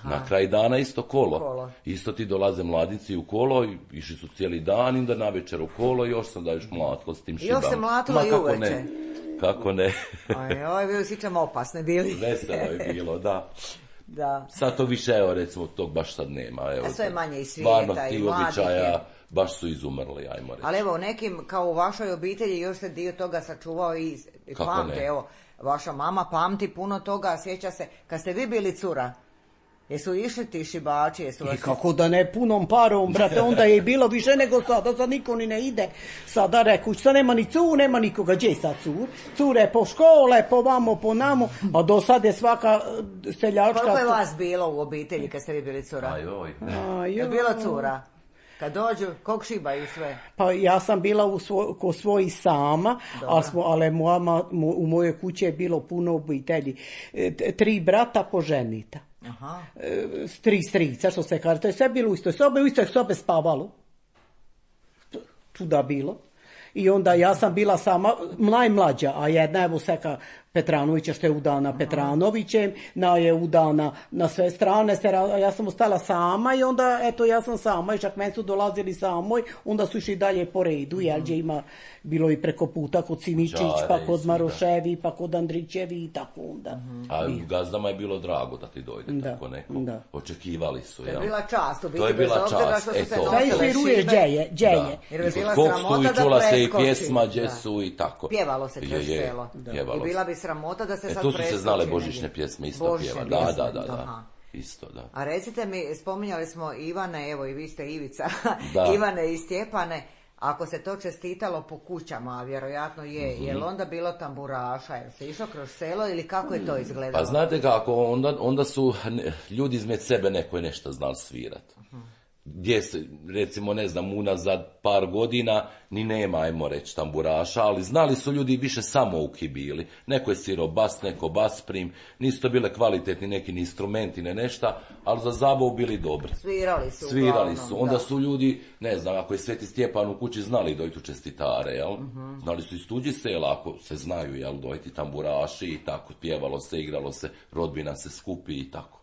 Na kraj dana isto kolo. Kolo. Isto ti dolaze mladici u kolo, i išli su cijeli dan, onda na večer u kolo i još sam da još mlatko s tim šibama. Još se mlatilo Ma, i kako uveče. ne, kako ne. Aj, oj, vi Sićama opasne bili. Veselo je bilo, da. Da. Sad to više, evo recimo, tog baš sad nema. Evo, A sve je manje i svijeta, stvarno, i ti mladih običaja je. baš su izumrli, ajmo reći. Ali evo, u nekim, kao u vašoj obitelji, još se dio toga sačuvao i i Kako pamte, ne? evo, vaša mama pamti puno toga, sjeća se, kad ste vi bili cura, jesu išli ti šibači, jesu I vas... kako da ne punom parom, brate, onda je i bilo više nego sada, sad niko ni ne ide. Sada reku, sad nema ni cur, nema nikoga, gdje je sad cur? Cure po škole, po vamo, po namo, a do sad je svaka eh, seljačka... Koliko je vas bilo u obitelji kad ste vi bili cura? Ajoj. A, Je joj. bilo cura? Kad dođu, kog šibaju sve? Pa ja sam bila u svo, ko svojih sama, ali, smo, ali moja, ma- mo- u mojoj kući je bilo puno obitelji. E, t- tri brata poženita. Aha. E, tri strica, što se kaže. To je sve bilo u istoj sobe, u istoj sobe spavalo. Tu- Tuda bilo. I onda ja sam bila sama najmlađa, a jedna evo Seka Petranovića što je udana Petranovićem, na je udana na sve strane, se, ra- a ja sam ostala sama i onda eto ja sam sama i čak meni su dolazili samoj, onda su išli dalje po redu, jel gdje ima bilo i preko puta kod Simičić, Đare pa i kod svi, Maroševi, pa kod Andrićevi i tako onda. A gazdama je bilo drago da ti dojde Da, tako neko. da. Očekivali su, To je jel? bila čast, u biti, To je bez bila obzira čast, što su se eto. Sve nosile iširuješ šibe. džeje, džeje. Jer je I bila kod koksu sramota i da čula se i preskoči. pjesma, gdje Da. su i tako. Pjevalo se kroz Je, je, selo. pjevalo I se. bila bi sramota da se E, sad tu su se preskoči znale negdje. božićne pjesme, isto Božićne pjeva. Da, pjesme, da, da, da. aha. Isto, da. A recite mi, spominjali smo Ivane, evo i vi ste Ivica, Da. Ivane i Stjepane, ako se to čestitalo po kućama, a vjerojatno je, Mhm. je li onda bilo tamburaša, je li se išlo kroz selo ili kako je to izgledalo? Pa znate kako, onda, onda su ne, ljudi izmed sebe neko je nešto znali svirat. Gdje se, recimo, ne znam, unazad par godina ni nema, ajmo reći, tamburaša, ali znali su ljudi više samouki bili. Neko je svirao bas, neko bas prim, nisu to bile kvalitetni neki ni instrumenti, ne nešta, ali za zabavu bili dobri. Svirali su Svirali uglavnom, su, onda da. su ljudi, ne znam, ako je Sveti Stjepan u kući znali dojtu čestitare, jel? Mhm. Znali su iz tuđi sela, ako se znaju, jel, dojti tamburaši i tako, pjevalo se, igralo se, rodbina se skupi i tako.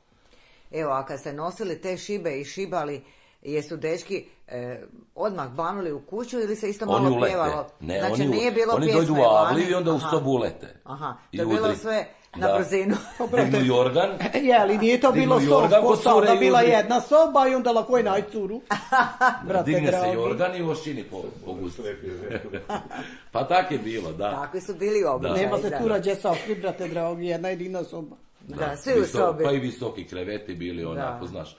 Evo, a kad ste nosili te šibe i šibali, jesu dečki e, odmah banuli u kuću ili se isto Oni malo ulete. pjevalo? Ne, znači oni, u- nije bilo oni pjesme dojdu u Avliju vani? i onda u Aha. sobu ulete. Aha, I to je bilo udri. sve na Da. brzinu. Dignu jorgan. Je, ali nije to bilo Dignu soba, jorgan ko kod cure sada i bila udri. jedna soba i onda lako je najcuru. Brate Digne se dragi. jorgan i ošini po, po gustu. Pa tak je bilo, da. Takvi su bili običaji. Nema se da. cura gdje sakri, brate dragi, jedna jedina soba. Da, svi u Visok- sobi. Pa i visoki kreveti bili onako, Da. znaš.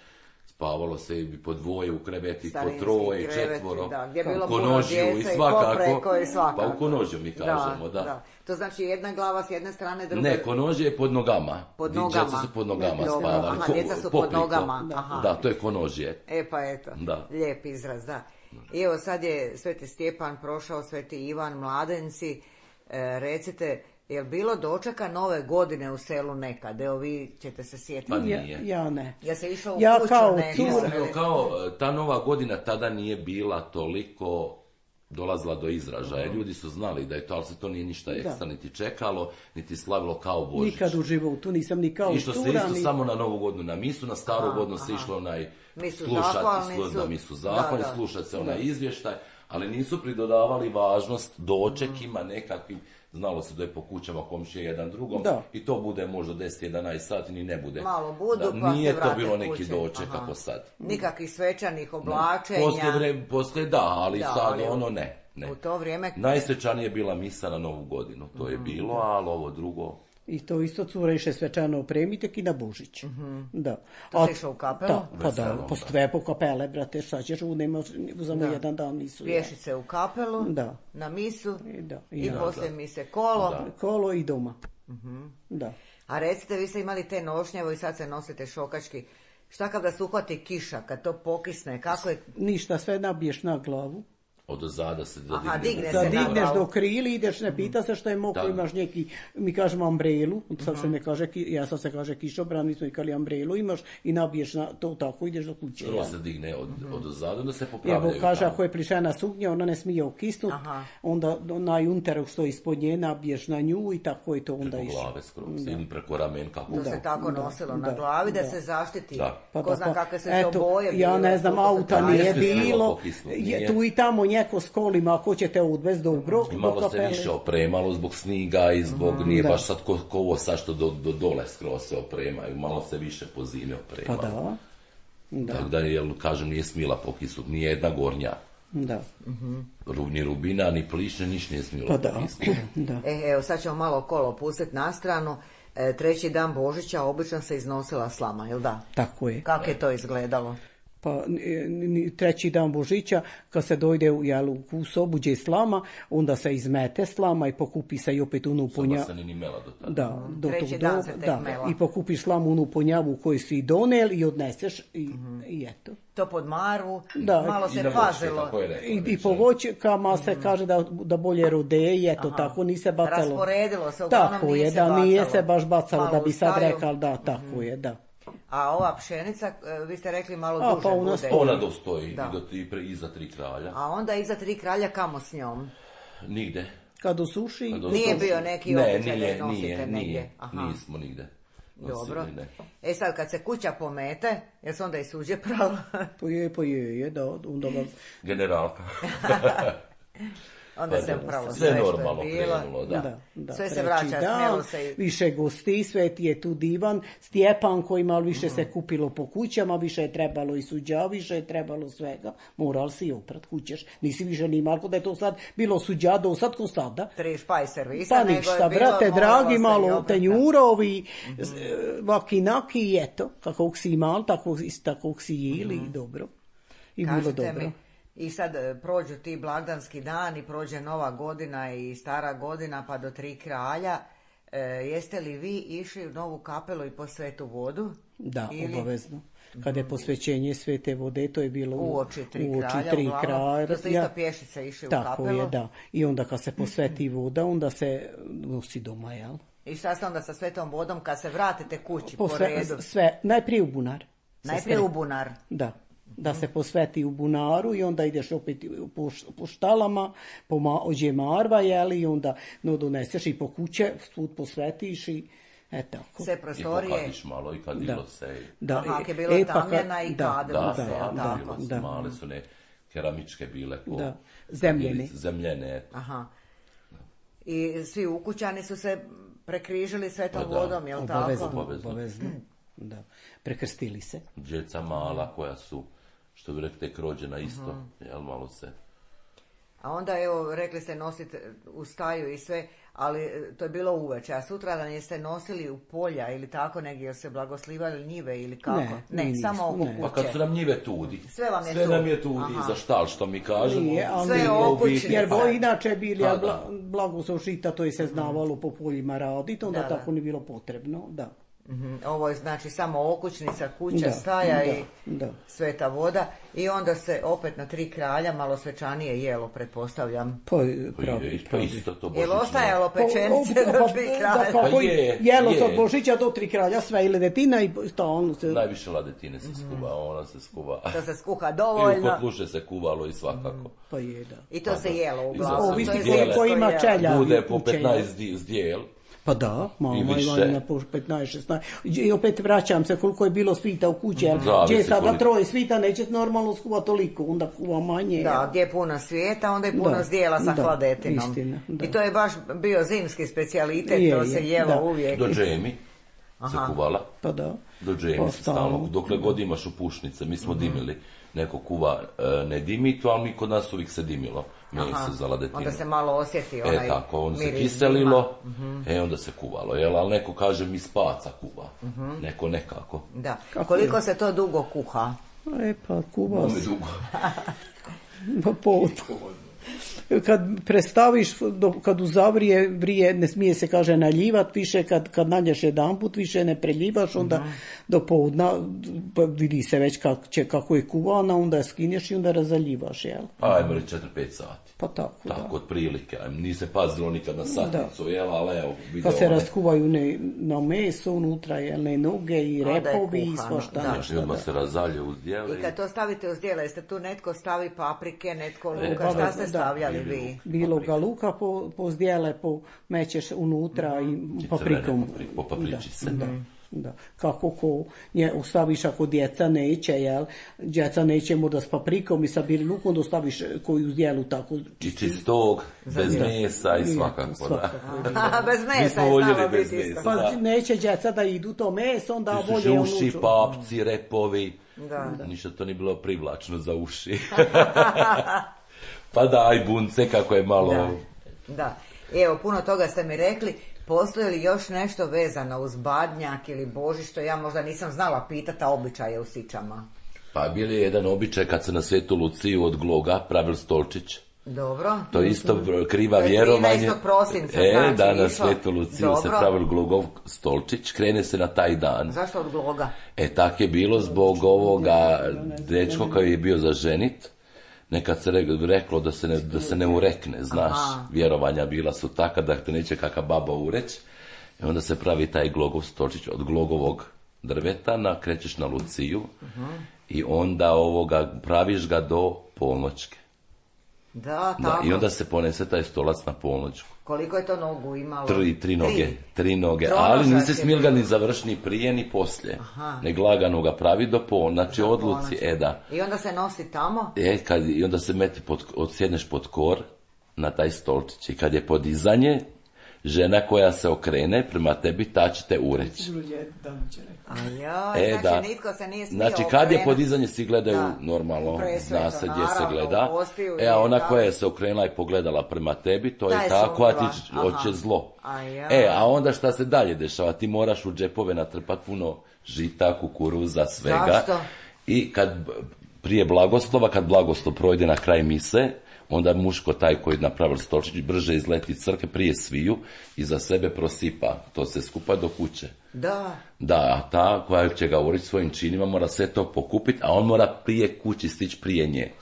spavalo se i po dvoje u kreveti, Starinski po troje, kreveti, četvoro, da, gdje je bilo u puno konožiju djece i i svakako, popreko i svakako. pa u konožju mi kažemo, da. da. To znači jedna glava s jedne strane, druga... Ne, konožje je pod nogama. Pod nogama. Djeca su pod nogama Dobro. spavali. Aha, Ko- djeca su pod pokrito. nogama. Aha. Da, to je konožje. E pa eto, Da. lijep izraz, da. I evo sad je Sveti Stjepan prošao, Sveti Ivan, mladenci, e, recite, je li bilo dočeka nove godine u selu nekad? Evo vi ćete se sjetiti. Pa Ja, nije. ja ne. Ja se išao u Ja kuću kao nekad. cura. Iskreno, kao ta nova godina tada nije bila toliko dolazila do izražaja. Ljudi su znali da je to, ali se to nije ništa ekstra niti čekalo, niti slavilo kao Božić. Nikad u životu nisam ni kao Išlo se cura, isto ni... samo na novu godinu na misu, na staru Aha, godinu se aha. išlo onaj Misu slušati, zahvalnicu. slu- da misu zahvalnicu, Da, da. slušati se onaj izvještaj, ali nisu pridodavali važnost dočekima nekakvim, znalo se da je po kućama komšije jedan drugom Da. i to bude možda deset jedanaest sati, ni ne bude. Malo budu, Da, pa nije se to vrate bilo neki kući. doček Aha. kako sad. Nikakvih svečanih oblačenja. Poslije, vre, poslije da, ali Da, sad ali u- ono ne. ne. U to vrijeme... Najsvečanije je bila misa na novu godinu, to je bilo, ali ovo drugo... I to isto cura iše svečano opremiti i na Božić. Da. To A- si išao u kapelu? Da, pa da, Veselom, po da. sve po kapele, brate, šta ćeš, u nema, uzamo Da. jedan dan nisu. Pješice u kapelu, Da. na misu I da, i i da. poslije mise kolo. Da. Kolo i doma. Da. A recite, vi ste imali te nošnje, evo i sad se nosite šokački. Šta kad da se uhvati kiša, kad to pokisne, kako je... Ništa, sve nabiješ na glavu. Od zada se da Aha, digne. digne Da se na digneš glavu. do krili, ideš, ne pita se što je mokro, Da. imaš neki, mi kažemo umbrelu, sad se ne kaže, ki- ja sad se kaže kišobran, mi smo ikali umbrelu, imaš i nabiješ na to tako, ideš do kuće. Prvo ja. se digne od, od zada, da se Evo, popravljaju. kaže, tamo. ako je plišena suknja, ona ne smije okisnut, Aha. onda na junteru što je ispod nje nabiješ na nju i tako je to onda Preko išlo. glave skroz, ili preko ramen, kako To se tako da, nosilo da, na glavi da, da. se zaštiti. Da. Pa Ko da, zna pa, kakve su eto, to boje ja bile, ne znam, koliko se auta to nije nije smjelo bilo, pokisnut, je, nije. tu i tamo njeko s kolima, ako ćete odvesti dobro, I do malo se kapele. više opremalo zbog sniga i zbog, nije da. baš sad ko, ko ovo sad što do, do dole skroz se opremaju, malo se više po zimi Pa opremalo. da, da, Tako da, jel, kažem, nije smila pokisnut, nije jedna gornja. da, Ru- Ni rubina, ni plišne, niš nije smilo pa da, pokisnut. da. E, evo, sad ćemo malo kolo pustiti na stranu. E, treći dan Božića obično se iznosila slama, jel da? Tako je. Kako je to izgledalo? Pa ni- ni- treći dan Božića, kad se dojde u, jel, u sobu gdje je slama, onda se izmete slama i pokupi se i opet unu Soba ponja... se ni ni mela do tada. Da, do Treći tog dan doba, se tek da, mela. i pokupiš slamu unu ponjavu koju si donel i odneseš i, i eto. To pod marvu, Da. malo I se na voćke, pazilo. kako je rekao I, i već, po jel? voćkama se kaže da, da bolje rode i eto, Aha. tako, nije se bacalo. Rasporedilo se, uglavnom tako nije je, se da nije bacalo. se baš bacalo, Malo da bi sad ustaju. rekao, da, tako je, da. A ova pšenica, e, vi ste rekli malo A, duže pa u nas bude. Ona dostoji Da. i do, i pre, iza tri kralja. A onda iza tri kralja kamo s njom? Nigde. Kad osuši, Kad Nije dostoji. bio neki ne, običaj da nije, ih nosite nije, negdje. Nije, Aha. nismo nigde. nosili, Dobro. ne. E sad, kad se kuća pomete, jel se onda i suđe pralo? pa je, pa je, je, da, onda vam... Generalka. Onda Pa se da, pralo sve sve što normalno je bilo. krenulo, da. Da, da, Sve se treći vraća, dan, smjelo se i- više gosti, sveti je tu divan, Stjepan koji malo više se kupilo po kućama, više je trebalo i suđa, više je trebalo svega, moral si i oprat kućeš, nisi više ni Marko da je to sad bilo suđa do sad ko sada. Tri špaj servisa, Pa nego je ništa, bilo, brate, moralo dragi, se i malo obrtati. tenjurovi, mm-hmm. vakinaki i eto, kako si imal, tako, tako si jeli, mm-hmm. dobro. I bilo Kažite dobro. mi, i sad e, prođu ti blagdanski dani, prođe nova godina i stara godina pa do tri kralja. E, jeste li vi išli u novu kapelu i po svetu vodu? Da, Ili obavezno. Kada je posvećenje svete vode, to je bilo u oči tri u oči kralja, tri uglavnom, kralja. to ste isto pješice išli u Tako kapelu? je, da. I onda kad se posveti voda, onda se nosi doma, jel? I šta ste onda sa svetom vodom kad se vratite kući po, Posve, redu? sve, najprije u bunar. Se Najprije sve- u bunar. Da. Da se posveti u bunaru i onda ideš opet po, š- po štalama, po ma, ođe marva, jel? I onda no, doneseš i po kuće, svud posvetiš i e tako. Sve I prostorije. pokadiš malo i kadilo Da. se. i- Da, Aha, e- ako je bila e, pa kad- tamjena i da, kadilo Da, se, da, jel da, tako? bilo su da. male su ne keramičke bile po Da, zemljene. zemljene. Aha. I svi ukućani su se prekrižili svetom Pa da, vodom, jel Obavezno, tako? Obavezno. obavezno. Da. Prekrstili se. Djeca mala koja su, što bi rekli, tek rođena isto, jel malo se. A onda, evo, rekli ste nosite u staju i sve, ali to je bilo uveče, a sutradan jeste nosili u polja ili tako negdje, jel se blagoslivali njive ili kako? Ne, ne nismo, samo oko ne. kuće. Pa kad su nam njive tudi. Sve vam je Sve tu. nam je tudi, Aha. za štal, što mi kažemo. Nije, ali Sve je nije. okućnice. Jer bo inače bili, Pa, a da. bla, blagoslov žita, to je se znavalo po poljima raditi, onda Da, da. tako nije bilo potrebno, da. Mhm. Ovo je znači samo okućnica, kuća, Da, staja da, i da. sveta voda i onda se opet na tri kralja malo svečanije jelo, pretpostavljam. Pa, Pa, pravi, je, pa pravi. isto to Jel božićno. ostajalo Pa, pečenice pa, do pa, tri da, kralja? kako Pa je, jelo je. se od Božića do tri kralja, sve i ledetina i stalno se... Najviše ladetine se skuva, ona se skuva. To se skuha I u dovoljno kotluše se kuvalo i svakako. Pa je, da. i to se jelo I uglavnom. za- Ovisi to je koliko zimsko ima jelo. čelja. Bude po u čelju. petnaest di- zdjel. Pa da, mama I više. ima po petnaest šesnaest. I opet vraćam se koliko je bilo svita u kući, jer Zavisi gdje sada koliko. troje svita neće normalno skuva toliko, onda kuva manje. Da, gdje je puno svijeta, onda je puno Da, zdjela sa da, hladetinom. istina, da. I to je baš bio zimski specijalitet, Je, to se je, jelo da. uvijek. Do džemi se Aha. kuvala. Pa da. Do džemi Pa se stalno. Dokle god imaš upušnice, mi smo dimili. Neko kuva e, ne dimi to, ali mi kod nas uvijek se dimilo. Meso Aha. za ladetinu. Onda se malo osjeti onaj E tako, on se miris kiselilo, e onda se kuvalo, jel? Ali neko kaže mi spaca kuva, neko nekako. dima. Da. Kako Koliko je? se to dugo kuha? E pa kuva Bome se. dugo. Pa po- kad prestaviš, do, kad uzavrije vrije, ne smije se kaže naljivat više, kad, kad nađeš jedan put više ne preljivaš, onda Mhm. do poudna pa vidi se već kak, će, kako je kuvana, onda je skinješ i onda razaljivaš, jel? Ajmo reći četiri pet sati. Pa tako, Tako, otprilike. Ajme, nisam pazilo nikad na satnicu, jel, ali evo, da. video Kad se one- raskuvaju ne, na meso unutra, jel, ne noge i Onda je repovi i kuhano, svašta da. nešto, I odmah da. se razalje uz djele. I kad to stavite uz djela, jeste tu netko stavi paprike, netko E, luka, šta obavezno, ste da. stavljali Ili vi? luk. Bilo ga luka po, po zdjele, po mećeš unutra i I paprikom. crvene papri- po papriči se. Da, da. Kako ko nje ostaviš ako djeca neće, jel? Djeca neće možda s paprikom i sa bijelim lukom, onda ostaviš koju zdjelu tako. I čistog, bez djecu. mesa i Nije, svakako, da. svakako. Aha, bez Mi mesa smo je voljeli znalo bez biti isto. mesa. Pa Da. neće djeca da idu to meso, onda Ti su bolje ono uši, ču- papci, repovi. Da. Ništa to nije bilo privlačno za uši. Pa da, aj bunce, kako je malo... Da. Da. Evo, puno toga ste mi rekli. Postoji li još nešto vezano uz Badnjak ili Božić, što ja možda nisam znala pitati, a običaje u Sičama? Pa bil je jedan običaj kad se na Svetu Luciju od Gloga pravil stolčić. Dobro. To je isto kriva To je vjerovanje. trinaestog prosinca, E, znači, da, na išlo. Svetu Luciju se Dobro. pravil Glogov stolčić, krene se na taj dan. Zašto od Gloga? E, tak je bilo zbog ovoga dečko koji je bio za ženit. Nekad se re- reklo da se ne, da se ne urekne, znaš, Aha. vjerovanja bila su taka da te neće kaka baba ureć. I onda se pravi taj glogov stolčić od glogovog drveta, nakrećeš na Luciju i onda ovoga praviš ga do polnoćke. Da, Da, tako. i onda se ponese taj stolac na polnoćku. Koliko je to nogu imalo? Tri, tri noge, tri noge, Tronožac ali nisi je smjel ga bilo. ni završiti ni prije ni poslije. Aha. Nego lagano ga pravi do pol, znači odluci, Ponoći. e da. I onda se nosi tamo? E, kad, i onda se meti pod, odsjedneš pod kor na taj stolčić i kad je podizanje, žena koja se okrene prema tebi, ta će te ureći. A joj, E, znači da. nitko se nije smio Znači, kad je okrenuti. podizanje, svi gledaju Da. normalno, Presveto, zna se gdje se naravno, gleda. u postiju E, a je ona tako. koja je se okrenula i pogledala prema tebi, to Ta je je tako, a ti sumnjiva. ć- Aha. hoće zlo. A ja. E, a onda šta se dalje dešava? Ti moraš u džepove natrpat puno žita, kukuruza, svega. Zašto? I kad b- prije blagoslova, kad blagoslov projde na kraj mise, onda muško taj koji je napravil stolčić brže izleti iz crkve prije sviju i za sebe prosipa to se skupa do kuće. Da. Da, a ta koja će ga urići svojim činima mora sve to pokupiti, a on mora prije kući stići prije nje.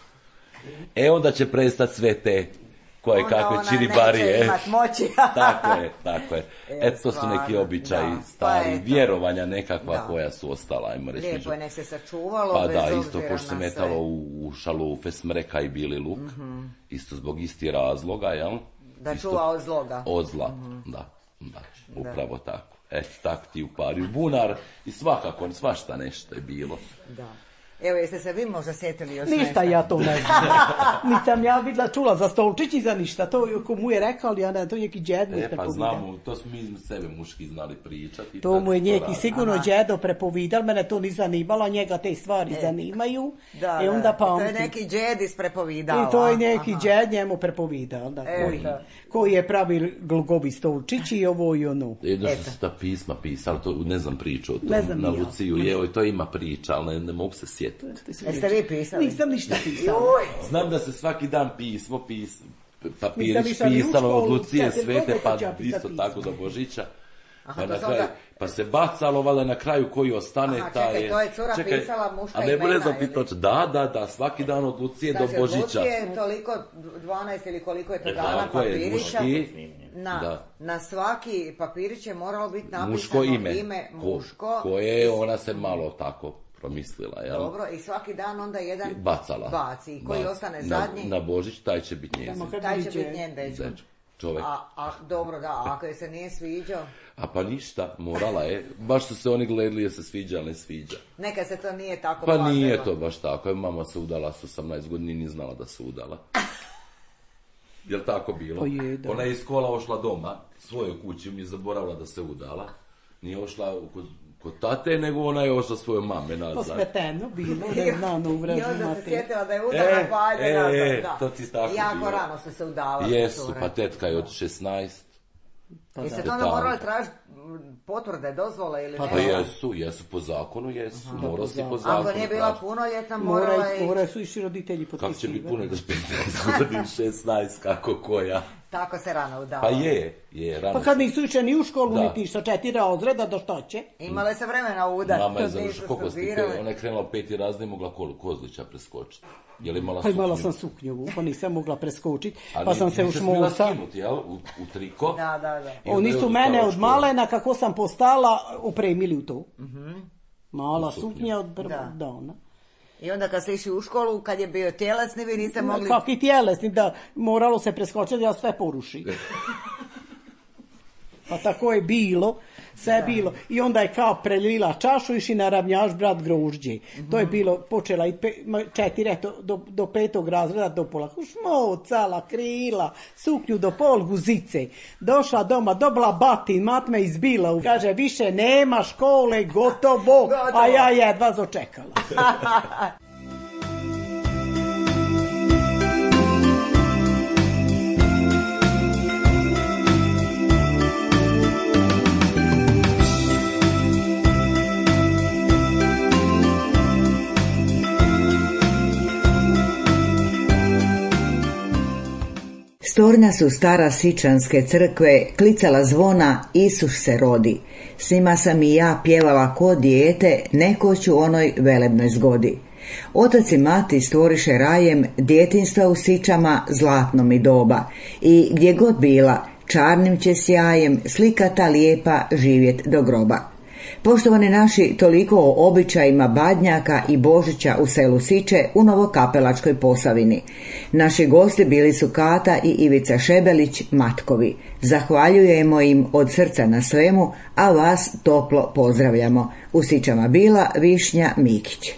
E onda će prestati sve te koje Onda kakve ona čiribarije. neće imat moći. Tako je, tako je. E, E, to su stvarno, neki običaji da. stari, Pa eto. vjerovanja nekakva Da. koja su ostala, ajmo reći. Lijepo je, nek se sačuvalo, Pa bez da, obzira isto pošto se na metalo sve. u, u šalufe smreka i bili luk, isto zbog isti razloga, jel? Da Isto čuva od zloga. od zla, da, da, upravo tako. Eto, tak ti upari bunar i svakako, svašta nešto je bilo. Da. Evo, jeste se vi možda sjetili još ništa nešto? Ja to ne znam. Nisam ja vidjela, čula za stolčić i za ništa. To ko mu je rekao, ali ja ne, to je neki džed mu E, pa prepovidal. znamo, to smo mi sebe muški znali pričati. To mu je neki radi. sigurno džedo prepovidal, mene to ni zanimalo, njega te stvari e. zanimaju. Da, I onda da. pamti. To je neki džed isprepovidala. I to je neki džed njemu prepovidal, da, e, koji, da. koji je pravi glgovi stolčić i ovo i ono. Jedno što su ta pisma pisali, to ne znam priču o tom, Ne znam na ja. Luciju, je, evo, to ima priča, ali ne, ne mogu se sjetiti. Jeste vi pisali? Nisam ništa pisala. Znam da se svaki dan pismo, pis, papirić Nisam išla ni u pisalo od školu, Lucije sad, Svete, koliko pa ću ja pisati isto pisma? tako do Božića. Aha, Pa, to na sam kraju, da- pa se bacalo, valjda na kraju koji ostane, Aha, taj čekaj, to je cura pisala muška a ne imena, znam ti ili? točno, da, da, da, svaki dan od Lucije Znači, do Božića. Lucije toliko, dvanaest ili koliko je to E, dana tako je, papirića. muški, Na, da. na svaki papirić je moralo biti napisano Muško ime, ime ko, muško. koje ona se malo tako promislila, jel? Dobro, i svaki dan onda jedan Bacala. baci. I koji Bac- ostane na, zadnji, Na Božić, taj će biti njezin. Tamo kad taj će viđe. biti njen dečko. Dečko, čovjek. A, a dobro, da, a ako je se nije sviđao, A pa ništa, morala je. Baš su se oni gledali je se sviđa, ali ne sviđa. neka se to nije tako Pa plazilo. nije to baš tako. Je mama se udala s osamnaest godina i nije znala da se udala. Jel tako bilo? Pa je, da. Ona je iz kola ošla doma, svojoj kući, mi je zaboravila da se udala. Nije ošla kod, kod tate, nego ona je ošla svoje mame nazad. Posmeteno bilo, ne znam, u I vražu onda se mate. sjetila da je udala, E, pa ajde e, nazad, e, da. to ti tako jako bilo. rano ste se udavali. Jesu, cure. pa tetka je od šesnaest. Pa Jeste da. to onda Detalj. morali tražiti potvrde, dozvole ili Pa ne? Pa da. jesu, jesu po zakonu, jesu. Morao si po zakonu. Ako nije bila tražiti. punoljetna, morala Moraju, je... moraju su iši roditelji Kako će potpisivati. biti puno da petnaest godina, šesnaest, kako koja. Tako se rano udala. Pa je, je, rano. Pa kad nisu išli ni u školu, Da. niti sa četiri razreda, do što će? Imale se vremena udati. Mama je kad nisu završila, koliko ste, studirale. ona je krenula u peti razred, nije mogla kolu Kozlića preskočiti. Je li imala Pa imala suknju? sam suknju, pa nisam mogla preskočiti, A pa ni- sam se nisi smjela ušmolsa. skinuti, jel? U, u triko. Da, da, da. I onda Oni je su odustala mene od od škole. malena, kako sam postala, opremili u to. Mala U suknju. suknja od prvog Da. dana. I onda kad ste išli u školu, kad je bio tjelesni, vi niste mogli... Kakvi tjelesni, da moralo se preskočiti, ja sve poruši. Pa tako je bilo, sve je bilo. I onda je kao prelila čašu, iši na ravnjaš brat grožđe. To je bilo, počela i pe, ma, četiri, eto, do, do petog razreda, do pola. Šmocala, krila, suknju do pol guzice. Došla doma, dobila batin, mat me izbila. Kaže, više nema škole, gotovo. A ja jedva zočekala. Storna su stara sičanske crkve, klicala zvona, Isus se rodi. S njima sam i ja pjevala ko dijete, nekoć u onoj velebnoj zgodi. Otac i mati stvoriše rajem, djetinstva u sičama zlatno mi doba. I gdje god bila, čarnim će sjajem, slika ta lijepa živjet do groba. Poštovani naši, toliko o običajima Badnjaka i Božića u selu Siče u Novokapelačkoj Posavini. Naši gosti bili su Kata i Ivica Šebelić, Matkovi. Zahvaljujemo im od srca na svemu, a vas toplo pozdravljamo. U Sičama bila Višnja Mikić.